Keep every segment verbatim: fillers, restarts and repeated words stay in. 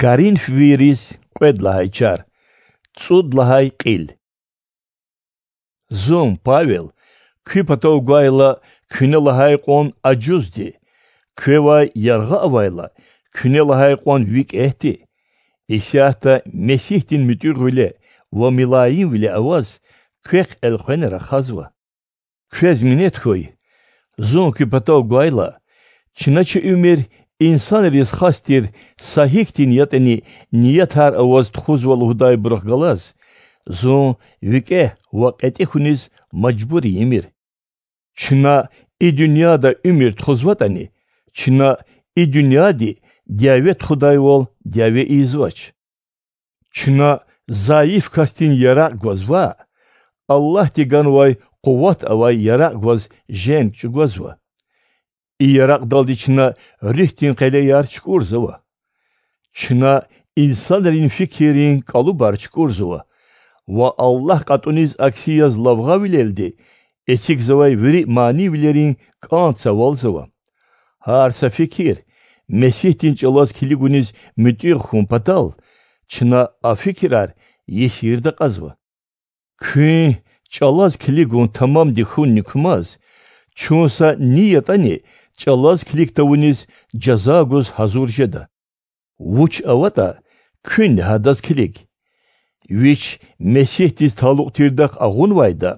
Коринфвийриз кьвед лагьай чар, цӀуд лагьай кьил. Зун, Павел, куь патав гвайла, куьне лагьай кьван ажузди, квевай яргъа авайла, куьне лагьай кьван викӀегьди, исятда Месигьдин муьтӀуьгъвиле ва милаимвиле аваз, квехъ элкъвена рахазва. Квез минет хьуй, зун куь патав гвайла, чна чи уьмуьр инсанриз хас тир са гьихьтин ятӀани ниятар аваз тухузва лугьудайбурухъ галаз, зун викӀегь ва кьетӀи хьуниз мажбур ийимир. Чна и дуьньяда уьмуьр тухузватӀани, чна и дуьньяди дяве тухудайвал дяве ийизвач. Чна зайиф касдин яракь гваз ваъ, Аллагьди ганвай къуват авай яракь гваз женг чӀугвазва. И яракьдалди чна руьгьдин къелеяр чукӀурзава. Чна инсанрин фикиррин кӀалубар чукӀурзава ва Аллагь кьатӀуниз акси яз лавгъавилелди эцигзавай вири манийвилерин кӀан цавалзава. Гьар са фикир Месигьдин чӀалаз килигуниз муьтӀуьгъ хьун патал, чна а фикирар есирда кьазва. Куьн чӀалаз килигун тамамди хьунни кумаз, чун са ни ятӀани чӀалаз килиг тавуниз жаза гуз гьазур жеда. Вуч аватӀа, куьнни гьадаз килиг. Вич Месигьдиз талукь тирдахъ агъунвайда,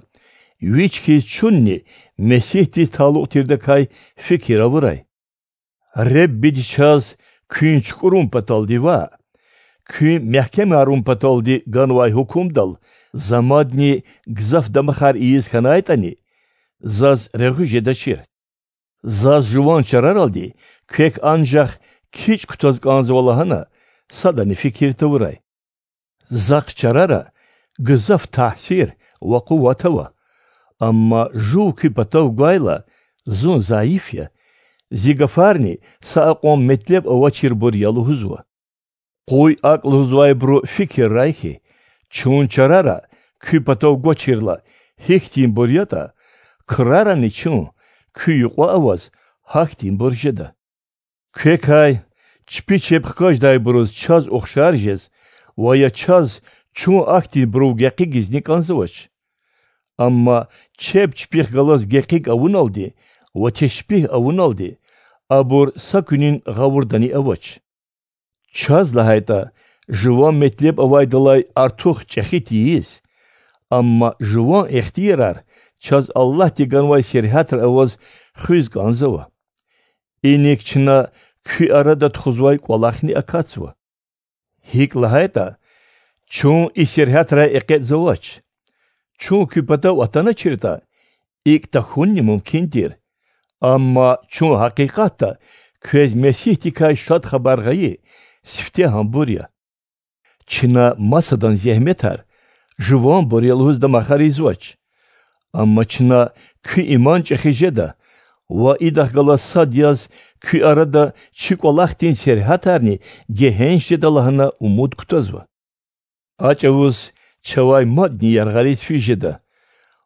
вич хьиз чунни Месигьдиз талукь тирдакай фикир авурай. Реббиди чаз куьн чукӀурун паталди ваъ, куьн мягькемарун паталди ганвай гьукумдал за мадни гзаф дамахар ийиз хьанайтӀани, заз регъуь жедачир. Заз жуван чараралди квек анжах кичӀ кутаз кӀанзава лагьана садани фикир тавурай. Захъ чарара гзаф тагьсир ва къуват ава, амма жув куь патав гвайла, зун зайиф я, зи гафарни са акьван метлеб авачирбур я лугьузва. Къуй акӀ лугьузвайбуру фикиррай хьи, чун чарара куь патав гвачирла гьихьтинбур ятӀа, крарани чун куь юкьва аваз гьахьтинбур жеда. Квекай чпи чеб хкаждайбуруз чаз ухшар жез ва я чаз чун ахьтинбурув гекъигизни кӀанзавач. Амма чеб чпихъ галаз гекъиг авуналди ва тешпигь авуналди абур са куьнин гъавурдани авач. Чаз лагьайтӀа, жуван метлеб авайдалай артух чӀехи тийиз, амма жуван ихтиярар чаз Аллагьди ганвай сергьятра аваз хуьз кӀанзава. Иник чна куь арада тухузвай кӀвалахни акатзава. ГьикӀ лагьайтӀа, чун и сергьятрай экъечӀзавач. Чун куь патав атаначиртӀа, икӀ тахьунни мумкин тир. Амма чун гьакъикъатда квез Месигьдикай Шад Хабар гъайи сифте гьамбур я. Чна масадан зегьметар жуванбур я лугьуз дамахар ийизвач. Амма чна куь иман чӀехи жеда ва идахъ галаз сад яз куь арада чи кӀвалахдин сергьятарни гегьенш жеда лагьана умуд кутазва. А чӀавуз чавай мадни яргъариз физ жеда,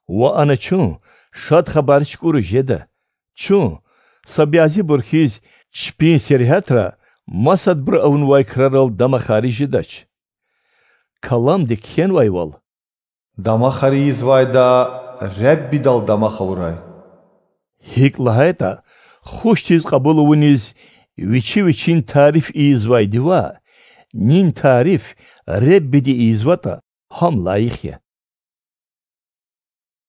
ва ана чун Шад Хабар чукӀуриз жеда. Чун, са бязибур хьиз, чпин сергьятра масадбуру авунвай крарал дамахариз жедач. Каламди кхьенвайвал: Дамахар ийизвайда Реббидал дамах авурай. ГьикӀ лагьайтӀа, хушдиз кьабул авуниз вичи вичин тариф ийизвайди ваъ, нин тариф Реббиди ийизватӀа, гьам лайих я.